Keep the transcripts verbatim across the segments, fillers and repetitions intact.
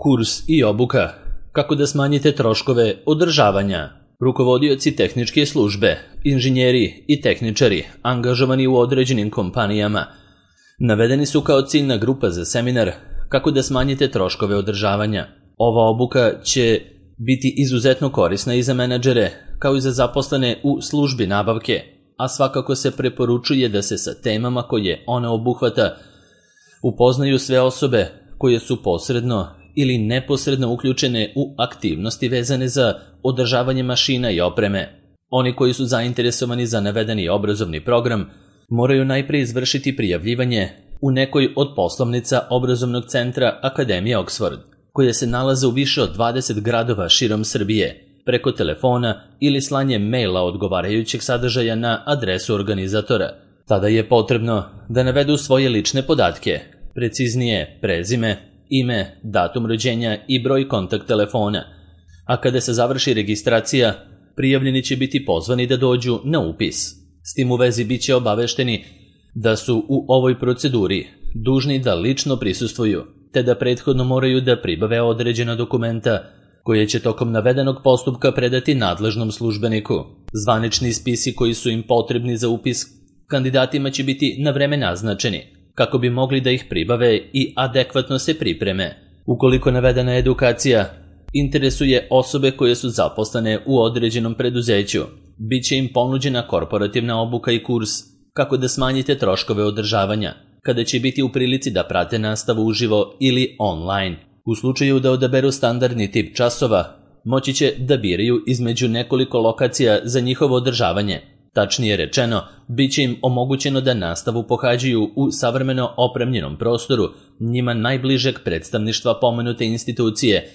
Kurs i obuka. Kako da smanjite troškove održavanja. Rukovodioci tehničke službe, inženjeri i tehničari angažovani u određenim kompanijama navedeni su kao ciljna grupa za seminar kako da smanjite troškove održavanja. Ova obuka će biti izuzetno korisna i za menadžere kao i za zaposlene u službi nabavke, a svakako se preporučuje da se sa temama koje ona obuhvata upoznaju sve osobe koje su posredno ili neposredno uključene u aktivnosti vezane za održavanje mašina i opreme. Oni koji su zainteresovani za navedeni obrazovni program moraju najprije izvršiti prijavljivanje u nekoj od poslovnica obrazovnog centra Akademije Oxford, koje se nalaze u više od dvadeset gradova širom Srbije, preko telefona ili slanjem maila odgovarajućeg sadržaja na adresu organizatora. Tada je potrebno da navedu svoje lične podatke, preciznije prezime, ime, datum rođenja i broj kontakt telefona, a kada se završi registracija, prijavljeni će biti pozvani da dođu na upis. S tim u vezi bit će obavešteni da su u ovoj proceduri dužni da lično prisustvuju, te da prethodno moraju da pribave određena dokumenta koje će tokom navedenog postupka predati nadležnom službeniku. Zvanični spisi koji su im potrebni za upis kandidatima će biti na vreme naznačeni, kako bi mogli da ih pribave i adekvatno se pripreme. Ukoliko navedena edukacija interesuje osobe koje su zaposlene u određenom preduzeću, bit će im ponuđena korporativna obuka i kurs kako da smanjite troškove održavanja, kada će biti u prilici da prate nastavu uživo ili online. U slučaju da odaberu standardni tip časova, moći će da biraju između nekoliko lokacija za njihovo održavanje. Tačnije rečeno, bit će im omogućeno da nastavu pohađaju u savremeno opremljenom prostoru njima najbližeg predstavništva pomenute institucije,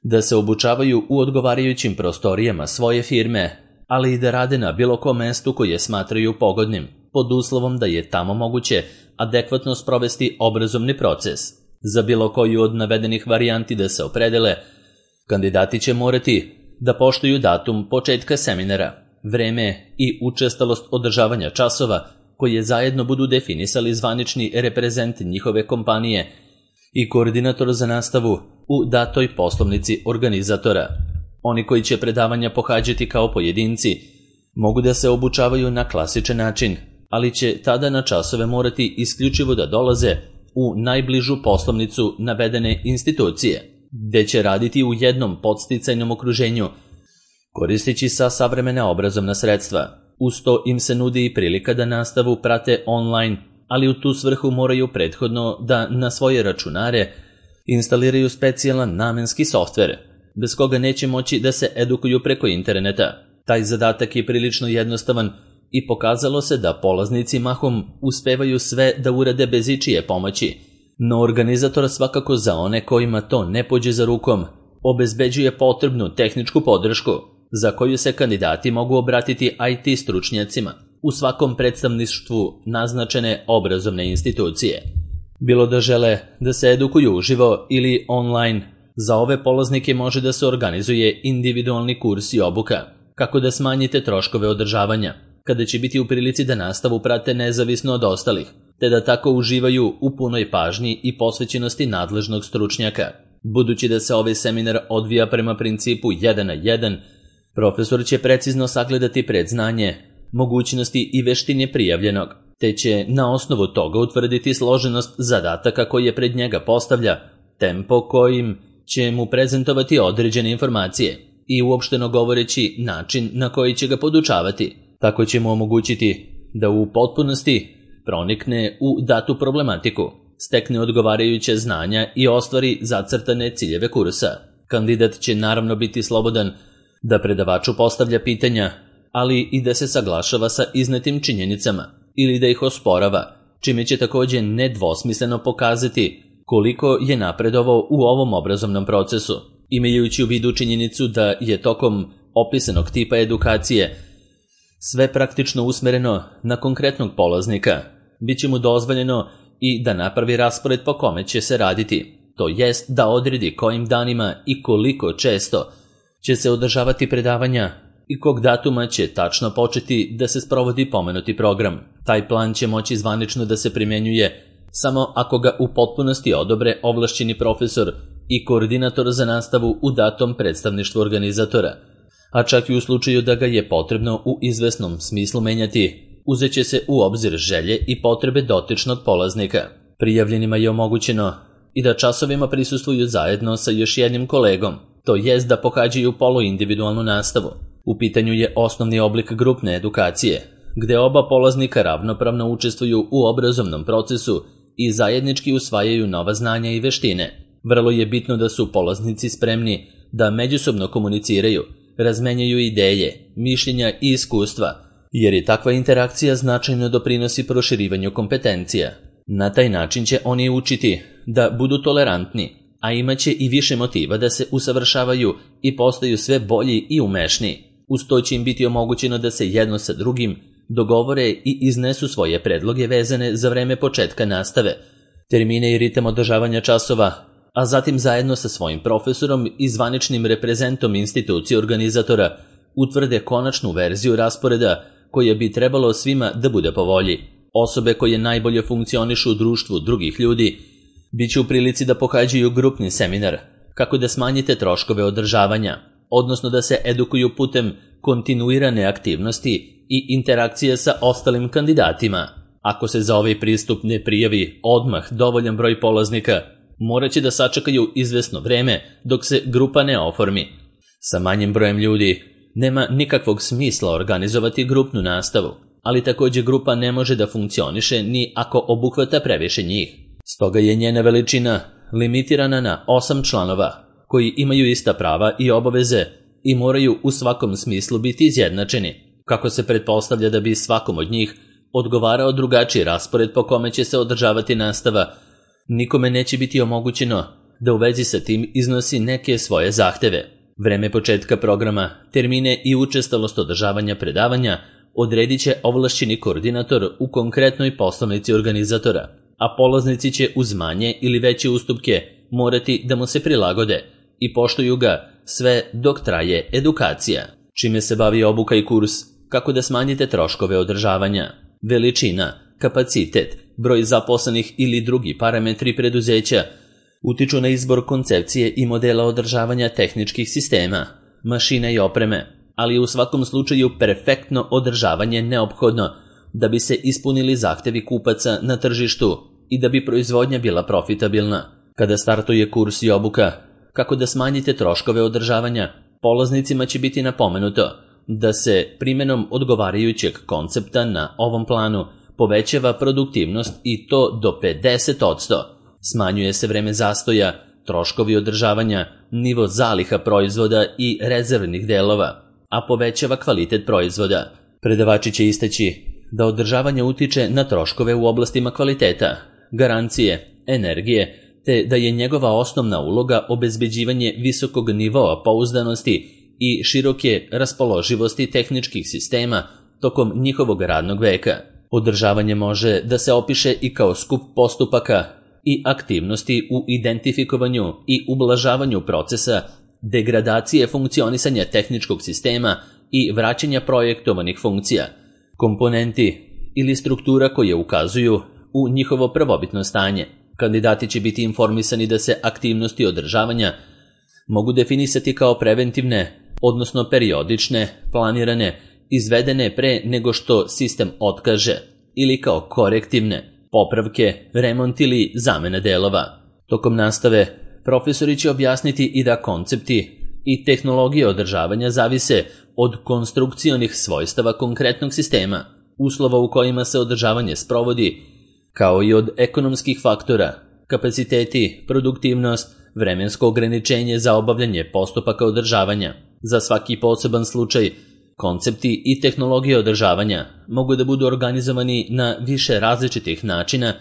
da se obučavaju u odgovarajućim prostorijama svoje firme, ali i da rade na bilo kom mestu koje smatraju pogodnim, pod uslovom da je tamo moguće adekvatno sprovesti obrazovni proces. Za bilo koju od navedenih varijanti da se opredele, kandidati će morati da poštuju datum početka seminara, vreme i učestalost održavanja časova koje zajedno budu definisali zvanični reprezent njihove kompanije i koordinator za nastavu u datoj poslovnici organizatora. Oni koji će predavanja pohađati kao pojedinci mogu da se obučavaju na klasičan način, ali će tada na časove morati isključivo da dolaze u najbližu poslovnicu navedene institucije, gde će raditi u jednom podsticajnom okruženju, koristeći sa savremena obrazovna sredstva. Uz to im se nudi i prilika da nastavu prate online, ali u tu svrhu moraju prethodno da na svoje računare instaliraju specijalan namenski softver, bez koga neće moći da se edukuju preko interneta. Taj zadatak je prilično jednostavan i pokazalo se da polaznici mahom uspevaju sve da urade bez ičije pomoći, no organizator svakako za one kojima to ne pođe za rukom obezbeđuje potrebnu tehničku podršku, za koju se kandidati mogu obratiti I T stručnjacima u svakom predstavništvu naznačene obrazovne institucije. Bilo da žele da se edukuju uživo ili online, za ove polaznike može da se organizuje individualni kurs i obuka, kako da smanjite troškove održavanja, kada će biti u prilici da nastavu prate nezavisno od ostalih, te da tako uživaju u punoj pažnji i posvećenosti nadležnog stručnjaka. Budući da se ovaj seminar odvija prema principu jedan na jedan, profesor će precizno sagledati predznanje, mogućnosti i veštine prijavljenog, te će na osnovu toga utvrditi složenost zadataka koje pred njega postavlja, tempo kojim će mu prezentovati određene informacije i uopšteno govoreći način na koji će ga podučavati. Tako će mu omogućiti da u potpunosti pronikne u datu problematiku, stekne odgovarajuće znanja i ostvari zacrtane ciljeve kursa. Kandidat će naravno biti slobodan da predavaču postavlja pitanja, ali i da se saglašava sa iznetim činjenicama ili da ih osporava, čime će također nedvosmisleno pokazati koliko je napredovao u ovom obrazovnom procesu, imajući u vidu činjenicu da je tokom opisanog tipa edukacije sve praktično usmereno na konkretnog polaznika. Biće mu dozvoljeno i da napravi raspored po kome će se raditi, to jest da odredi kojim danima i koliko često će se održavati predavanja i kog datuma će tačno početi da se sprovodi pomenuti program. Taj plan će moći zvanično da se primjenjuje samo ako ga u potpunosti odobre ovlašćeni profesor i koordinator za nastavu u datom predstavništvu organizatora, a čak i u slučaju da ga je potrebno u izvesnom smislu menjati, uzet će se u obzir želje i potrebe dotičnog polaznika. Prijavljenima je omogućeno i da časovima prisustvuju zajedno sa još jednim kolegom, to jest da pohađaju poluindividualnu nastavu. U pitanju je osnovni oblik grupne edukacije, gde oba polaznika ravnopravno učestvuju u obrazovnom procesu i zajednički usvajaju nova znanja i veštine. Vrlo je bitno da su polaznici spremni da međusobno komuniciraju, razmenjaju ideje, mišljenja i iskustva, jer i takva interakcija značajno doprinosi proširivanju kompetencija. Na taj način će oni učiti da budu tolerantni, a imaće i više motiva da se usavršavaju i postaju sve bolji i umešniji. Uz to će im biti omogućeno da se jedno sa drugim dogovore i iznesu svoje predloge vezane za vreme početka nastave, termine i ritam održavanja časova, a zatim zajedno sa svojim profesorom i zvaničnim reprezentom institucije organizatora utvrde konačnu verziju rasporeda koja bi trebalo svima da bude po volji. Osobe koje najbolje funkcionišu u društvu drugih ljudi biće u prilici da pohađaju grupni seminar, kako da smanjite troškove održavanja, odnosno da se edukuju putem kontinuirane aktivnosti i interakcije sa ostalim kandidatima. Ako se za ovaj pristup ne prijavi odmah dovoljan broj polaznika, morat će da sačekaju izvesno vreme dok se grupa ne oformi. Sa manjim brojem ljudi nema nikakvog smisla organizovati grupnu nastavu, ali takođe grupa ne može da funkcioniše ni ako obuhvata previše njih. Stoga je njena veličina limitirana na osam članova, koji imaju ista prava i obaveze i moraju u svakom smislu biti izjednačeni, kako se pretpostavlja da bi svakom od njih odgovarao drugačiji raspored po kome će se održavati nastava. Nikome neće biti omogućeno da u vezi sa tim iznosi neke svoje zahteve. Vreme početka programa, termine i učestalost održavanja predavanja odredit će ovlašćeni koordinator u konkretnoj poslovnici organizatora, a polaznici će uz manje ili veće ustupke morati da mu se prilagode i poštuju ga sve dok traje edukacija. Čime se bavi obuka i kurs? Kako da smanjite troškove održavanja? Veličina, kapacitet, broj zaposlenih ili drugi parametri preduzeća utiču na izbor koncepcije i modela održavanja tehničkih sistema, mašina i opreme, ali je u svakom slučaju perfektno održavanje neophodno da bi se ispunili zahtevi kupaca na tržištu i da bi proizvodnja bila profitabilna. Kada startuje kurs i obuka, kako da smanjite troškove održavanja, polaznicima će biti napomenuto da se primjenom odgovarajućeg koncepta na ovom planu povećava produktivnost i to do pedeset posto. Smanjuje se vreme zastoja, troškovi održavanja, nivo zaliha proizvoda i rezervnih delova, a povećava kvalitet proizvoda. Predavači će istaći da održavanje utiče na troškove u oblastima kvaliteta, garancije, energije, te da je njegova osnovna uloga obezbeđivanje visokog nivoa pouzdanosti i široke raspoloživosti tehničkih sistema tokom njihovog radnog veka. Održavanje može da se opiše i kao skup postupaka i aktivnosti u identifikovanju i ublažavanju procesa degradacije funkcionisanja tehničkog sistema i vraćanja projektovanih funkcija, komponenti ili struktura koje ukazuju u njihovo prvobitno stanje. Kandidati će biti informisani da se aktivnosti održavanja mogu definisati kao preventivne, odnosno periodične, planirane, izvedene pre nego što sistem otkaže, ili kao korektivne, popravke, remont ili zamena delova. Tokom nastave, profesori će objasniti i da koncepti i tehnologije održavanja zavise od konstrukcionih svojstava konkretnog sistema, uslova u kojima se održavanje sprovodi, kao i od ekonomskih faktora, kapaciteti, produktivnost, vremensko ograničenje za obavljanje postupaka održavanja. Za svaki poseban slučaj, koncepti i tehnologije održavanja mogu da budu organizovani na više različitih načina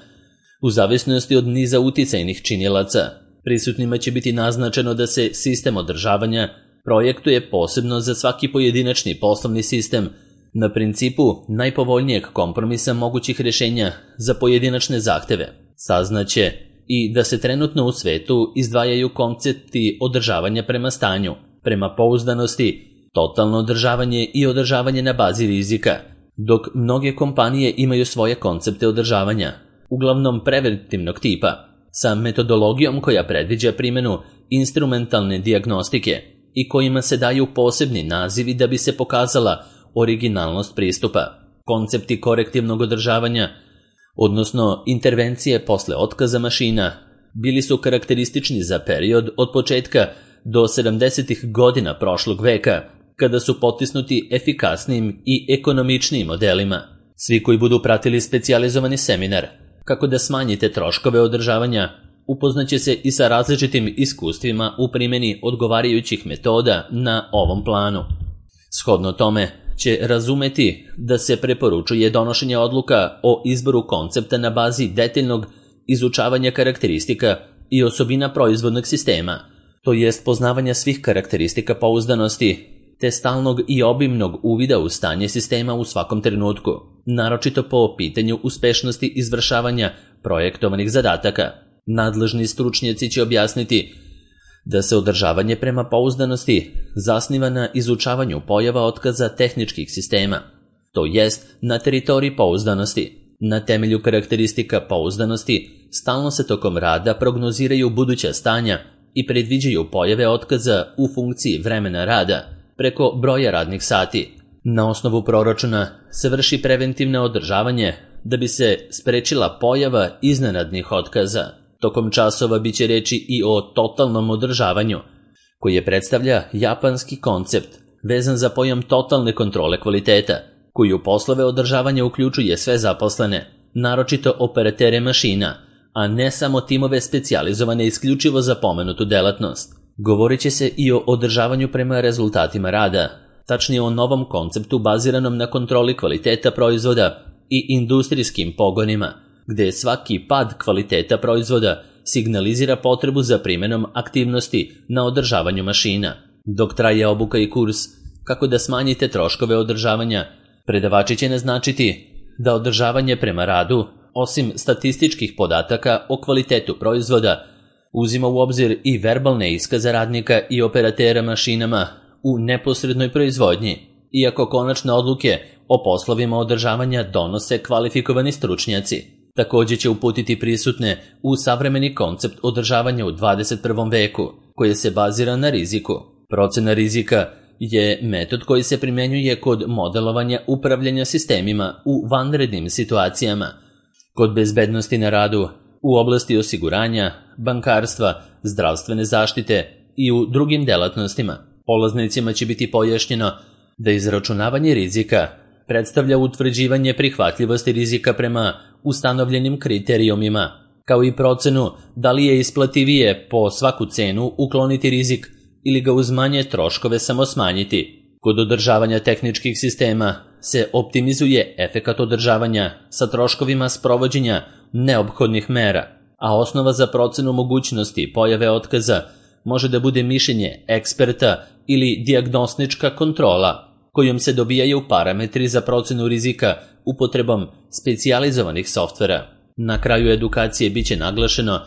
u zavisnosti od niza uticajnih činilaca. Prisutnima će biti naznačeno da se sistem održavanja projektuje posebno za svaki pojedinačni poslovni sistem na principu najpovoljnijeg kompromisa mogućih rješenja za pojedinačne zahteve. Saznaće i da se trenutno u svetu izdvajaju koncepti održavanja prema stanju, prema pouzdanosti, totalno održavanje i održavanje na bazi rizika, dok mnoge kompanije imaju svoje koncepte održavanja, uglavnom preventivnog tipa, sa metodologijom koja predviđa primjenu instrumentalne dijagnostike i kojima se daju posebni nazivi da bi se pokazala originalnost pristupa. Koncepti korektivnog održavanja, odnosno intervencije posle otkaza mašina, bili su karakteristični za period od početka do sedamdesetih godina prošlog veka, kada su potisnuti efikasnijim i ekonomičnijim modelima. Svi koji budu pratili specijalizovani seminar kako da smanjite troškove održavanja, upoznaće se i sa različitim iskustvima u primjeni odgovarajućih metoda na ovom planu. Shodno tome će razumeti da se preporučuje donošenje odluka o izboru koncepta na bazi detaljnog izučavanja karakteristika i osobina proizvodnog sistema, to jest poznavanja svih karakteristika pouzdanosti, te stalnog i obimnog uvida u stanje sistema u svakom trenutku, naročito po pitanju uspešnosti izvršavanja projektovanih zadataka. Nadležni stručnjaci će objasniti da se održavanje prema pouzdanosti zasniva na izučavanju pojava otkaza tehničkih sistema, to jest na teritoriji pouzdanosti. Na temelju karakteristika pouzdanosti stalno se tokom rada prognoziraju buduća stanja i predviđaju pojave otkaza u funkciji vremena rada preko broja radnih sati. Na osnovu proračuna se vrši preventivno održavanje da bi se sprečila pojava iznenadnih otkaza. Tokom časova biće reči i o totalnom održavanju, koji je predstavlja japanski koncept vezan za pojam totalne kontrole kvaliteta, koji u poslove održavanja uključuje sve zaposlene, naročito operatere mašina, a ne samo timove specijalizovane isključivo za pomenutu delatnost. Govorit će se i o održavanju prema rezultatima rada, tačnije o novom konceptu baziranom na kontroli kvaliteta proizvoda i industrijskim pogonima, gde svaki pad kvaliteta proizvoda signalizira potrebu za primjenom aktivnosti na održavanju mašina. Dok traje obuka i kurs kako da smanjite troškove održavanja, predavači će naznačiti da održavanje prema radu, osim statističkih podataka o kvalitetu proizvoda, uzima u obzir i verbalne iskaze radnika i operatera mašinama u neposrednoj proizvodnji, iako konačne odluke o poslovima održavanja donose kvalifikovani stručnjaci. Također će uputiti prisutne u savremeni koncept održavanja u dvadeset prvom veku, koji se bazira na riziku. Procena rizika je metod koji se primjenjuje kod modelovanja upravljanja sistemima u vanrednim situacijama, kod bezbednosti na radu, u oblasti osiguranja, bankarstva, zdravstvene zaštite i u drugim delatnostima. Polaznicima će biti pojašnjeno da izračunavanje rizika predstavlja utvrđivanje prihvatljivosti rizika prema ustanovljenim kriterijumima, kao i procenu da li je isplativije po svaku cenu ukloniti rizik ili ga uz manje troškove samo smanjiti. Kod održavanja tehničkih sistema se optimizuje efekat održavanja sa troškovima sprovođenja neophodnih mera, a osnova za procenu mogućnosti pojave otkaza može da bude mišljenje eksperta ili dijagnostička kontrola, kojom se dobijaju parametri za procenu rizika upotrebom specijalizovanih softvera. Na kraju edukacije biće naglašeno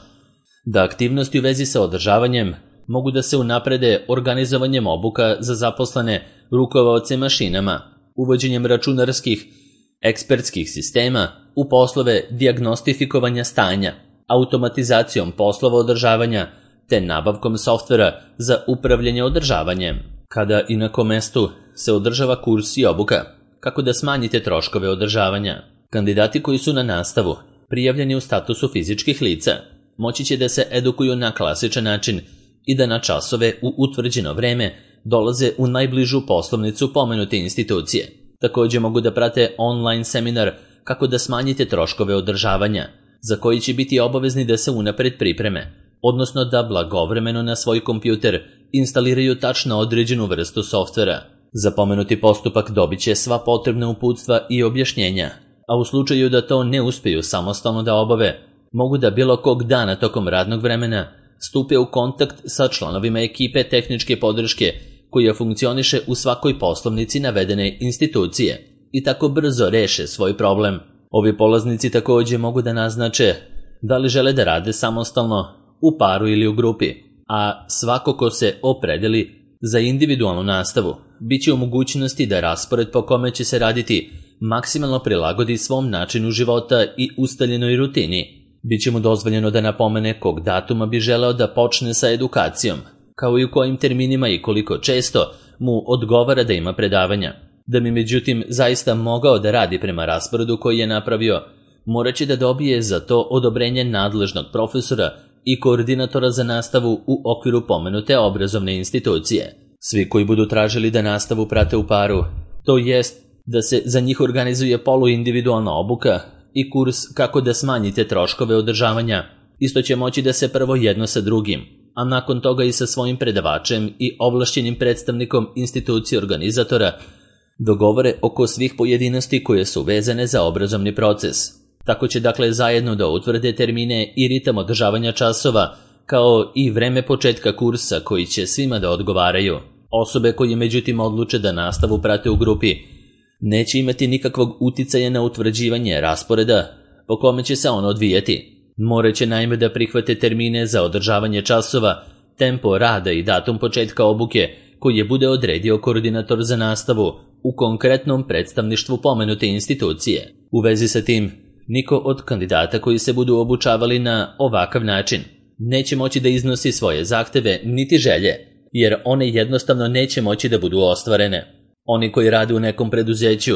da aktivnosti u vezi sa održavanjem mogu da se unaprede organizovanjem obuka za zaposlene rukovaoce mašinama, uvođenjem računarskih ekspertskih sistema u poslove dijagnostifikovanja stanja, automatizacijom poslova održavanja te nabavkom softvera za upravljanje održavanjem. Kada i na kom mestu se održava kurs i obuka, kako da smanjite troškove održavanja. Kandidati koji su na nastavu prijavljeni u statusu fizičkih lica moći će da se edukuju na klasičan način i da na časove u utvrđeno vreme dolaze u najbližu poslovnicu pomenute institucije. Također mogu da prate online seminar kako da smanjite troškove održavanja, za koji će biti obavezni da se unapred pripreme, odnosno da blagovremeno na svoj kompjuter instaliraju tačno određenu vrstu softvera. Za pomenuti postupak dobit će sva potrebna uputstva i objašnjenja, a u slučaju da to ne uspiju samostalno da obave, mogu da bilo kog dana tokom radnog vremena stupe u kontakt sa članovima ekipe tehničke podrške koja funkcioniše u svakoj poslovnici navedene institucije i tako brzo reše svoj problem. Ovi polaznici također mogu da naznače da li žele da rade samostalno, u paru ili u grupi, a svako ko se opredeli za individualnu nastavu bit će u mogućnosti da raspored po kome će se raditi maksimalno prilagodi svom načinu života i ustaljenoj rutini. Biće mu dozvoljeno da napomene kog datuma bi želeo da počne sa edukacijom, kao i u kojim terminima i koliko često mu odgovara da ima predavanja. Da bi međutim zaista mogao da radi prema rasporedu koji je napravio, morat će da dobije za to odobrenje nadležnog profesora i koordinatora za nastavu u okviru pomenute obrazovne institucije. Svi koji budu tražili da nastavu prate u paru, to jest da se za njih organizuje poluindividualna obuka i kurs kako da smanjite troškove održavanja, isto će moći da se prvo jedno sa drugim, a nakon toga i sa svojim predavačem i ovlašćenim predstavnikom institucije organizatora dogovore oko svih pojedinosti koje su vezane za obrazovni proces. Tako će dakle zajedno da utvrde termine i ritam održavanja časova, kao i vreme početka kursa koji će svima da odgovaraju. Osobe koje međutim odluče da nastavu prate u grupi neće imati nikakvog uticaja na utvrđivanje rasporeda po kome će se on odvijati. Moraće naime da prihvate termine za održavanje časova, tempo rada i datum početka obuke koji je bude odredio koordinator za nastavu u konkretnom predstavništvu pomenute institucije. U vezi sa tim, niko od kandidata koji se budu obučavali na ovakav način neće moći da iznosi svoje zahteve niti želje, jer one jednostavno neće moći da budu ostvarene. Oni koji rade u nekom preduzeću,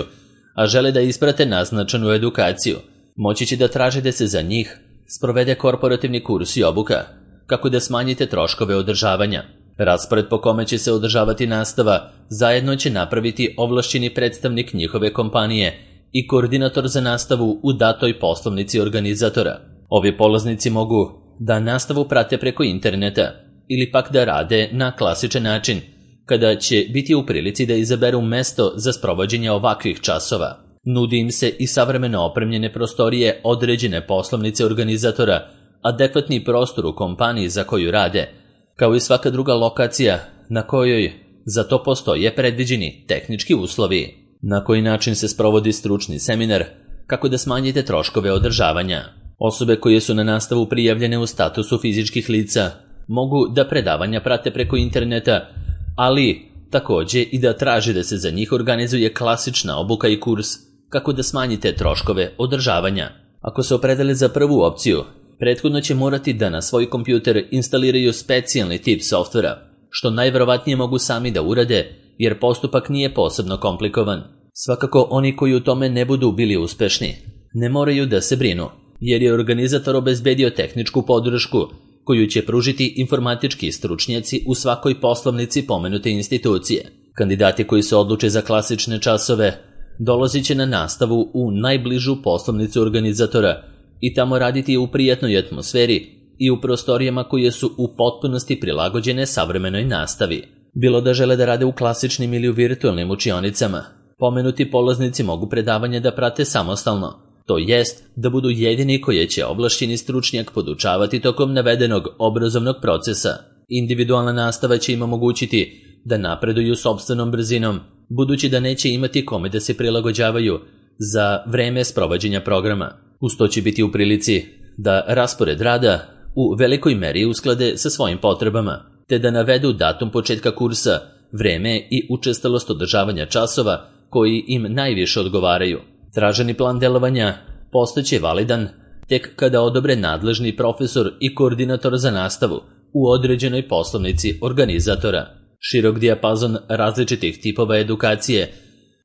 a žele da isprate naznačenu edukaciju, moći će da traže da se za njih sprovede korporativni kurs i obuka, kako da smanjite troškove održavanja. Raspored po kome će se održavati nastava zajedno će napraviti ovlašćeni predstavnik njihove kompanije i koordinator za nastavu u datoj poslovnici organizatora. Ovi polaznici mogu da nastavu prate preko interneta ili pak da rade na klasičan način, kada će biti u prilici da izaberu mesto za sprovođenje ovakvih časova. Nudi im se i savremeno opremljene prostorije određene poslovnice organizatora, adekvatni prostor u kompaniji za koju rade, kao i svaka druga lokacija na kojoj za to postoje predviđeni tehnički uslovi. Na koji način se sprovodi stručni seminar, kako da smanjite troškove održavanja. Osobe koje su na nastavu prijavljene u statusu fizičkih lica mogu da predavanja prate preko interneta, ali takođe i da traže da se za njih organizuje klasična obuka i kurs kako da smanjite troškove održavanja. Ako se opredele za prvu opciju, prethodno će morati da na svoj kompjuter instaliraju specijalni tip softvera, što najverovatnije mogu sami da urade, jer postupak nije posebno komplikovan. Svakako oni koji u tome ne budu bili uspešni ne moraju da se brinu, jer je organizator obezbedio tehničku podršku koju će pružiti informatički stručnjaci u svakoj poslovnici pomenute institucije. Kandidati koji se odluče za klasične časove dolazit će na nastavu u najbližu poslovnicu organizatora i tamo raditi u prijatnoj atmosferi i u prostorijama koje su u potpunosti prilagođene savremenoj nastavi. Bilo da žele da rade u klasičnim ili u virtualnim učionicama, pomenuti polaznici mogu predavanje da prate samostalno, to jest da budu jedini koje će ovlašćeni stručnjak podučavati tokom navedenog obrazovnog procesa. Individualna nastava će im omogućiti da napreduju sopstvenom brzinom, budući da neće imati kome da se prilagođavaju za vreme sprovođenja programa. Uz to će biti u prilici da raspored rada u velikoj meri usklade sa svojim potrebama, te da navedu datum početka kursa, vreme i učestalost održavanja časova koji im najviše odgovaraju. Traženi plan delovanja postaće validan tek kada odobre nadležni profesor i koordinator za nastavu u određenoj poslovnici organizatora. Širok dijapazon različitih tipova edukacije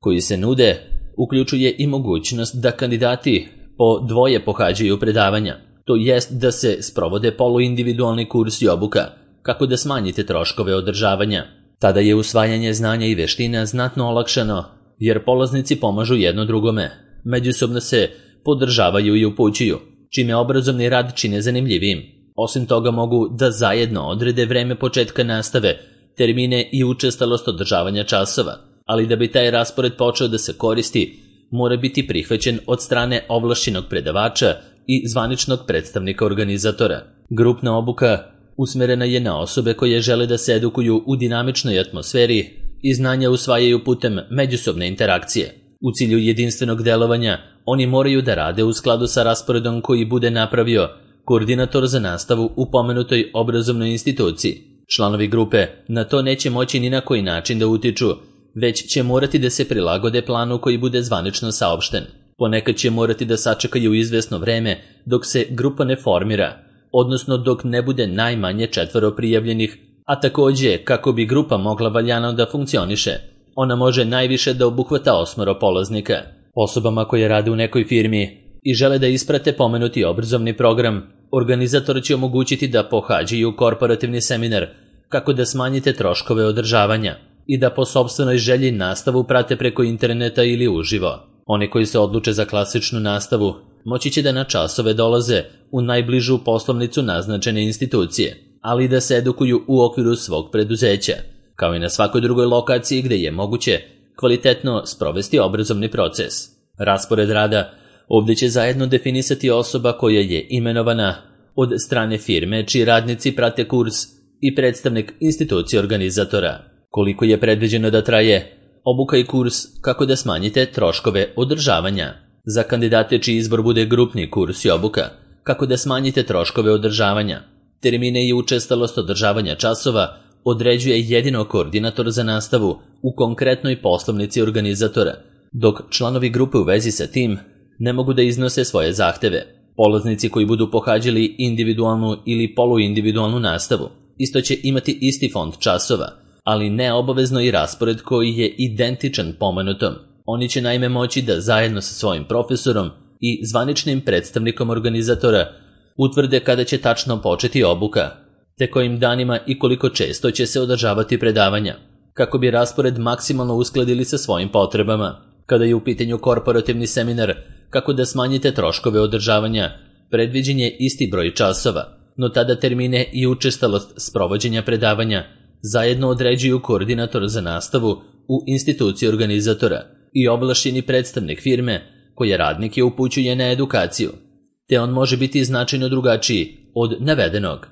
koji se nude uključuje i mogućnost da kandidati po dvoje pohađaju predavanja, to jest da se sprovode poluindividualni kurs i obuka, kako da smanjite troškove održavanja. Tada je usvajanje znanja i veština znatno olakšano, jer polaznici pomažu jedno drugome, međusobno se podržavaju i upućuju, čime obrazovni rad čine zanimljivijim. Osim toga mogu da zajedno odrede vreme početka nastave, termine i učestalost održavanja časova, ali da bi taj raspored počeo da se koristi, mora biti prihvaćen od strane ovlašćenog predavača i zvaničnog predstavnika organizatora. Grupna obuka usmerena je na osobe koje žele da se edukuju u dinamičnoj atmosferi i znanja usvajaju putem međusobne interakcije. U cilju jedinstvenog delovanja, oni moraju da rade u skladu sa rasporedom koji bude napravio koordinator za nastavu u pomenutoj obrazovnoj instituciji. Članovi grupe na to neće moći ni na koji način da utiču, već će morati da se prilagode planu koji bude zvanično saopšten. Ponekad će morati da sačekaju izvesno vreme dok se grupa ne formira, odnosno dok ne bude najmanje četvoro prijavljenih, a takođe kako bi grupa mogla valjano da funkcioniše. Ona može najviše da obuhvata osmoro polaznika. Osobama koje rade u nekoj firmi i žele da isprate pomenuti obrazovni program, organizator će omogućiti da pohađaju korporativni seminar kako da smanjite troškove održavanja i da po sopstvenoj želji nastavu prate preko interneta ili uživo. Oni koji se odluče za klasičnu nastavu moći će da na časove dolaze u najbližu poslovnicu naznačene institucije, ali i da se edukuju u okviru svog preduzeća, kao i na svakoj drugoj lokaciji gde je moguće kvalitetno sprovesti obrazovni proces. Raspored rada ovdje će zajedno definisati osoba koja je imenovana od strane firme čiji radnici prate kurs i predstavnik institucije organizatora. Koliko je predviđeno da traje obuka i kurs kako da smanjite troškove održavanja. Za kandidate čiji izbor bude grupni kurs i obuka kako da smanjite troškove održavanja. Termine i učestalost održavanja časova određuje jedino koordinator za nastavu u konkretnoj poslovnici organizatora, dok članovi grupe u vezi sa tim ne mogu da iznose svoje zahteve. Polaznici koji budu pohađali individualnu ili poluindividualnu nastavu isto će imati isti fond časova, ali ne obavezno i raspored koji je identičan pomenutom. Oni će naime moći da zajedno sa svojim profesorom i zvaničnim predstavnikom organizatora utvrde kada će tačno početi obuka, te kojim danima i koliko često će se održavati predavanja, kako bi raspored maksimalno uskladili sa svojim potrebama. Kada je u pitanju korporativni seminar, kako da smanjite troškove održavanja, predviđen je isti broj časova, no tada termine i učestalost sprovođenja predavanja zajedno određuju koordinator za nastavu u instituciji organizatora i ovlašćeni predstavnik firme koja radnike upućuje na edukaciju, te on može biti značajno drugačiji od navedenog.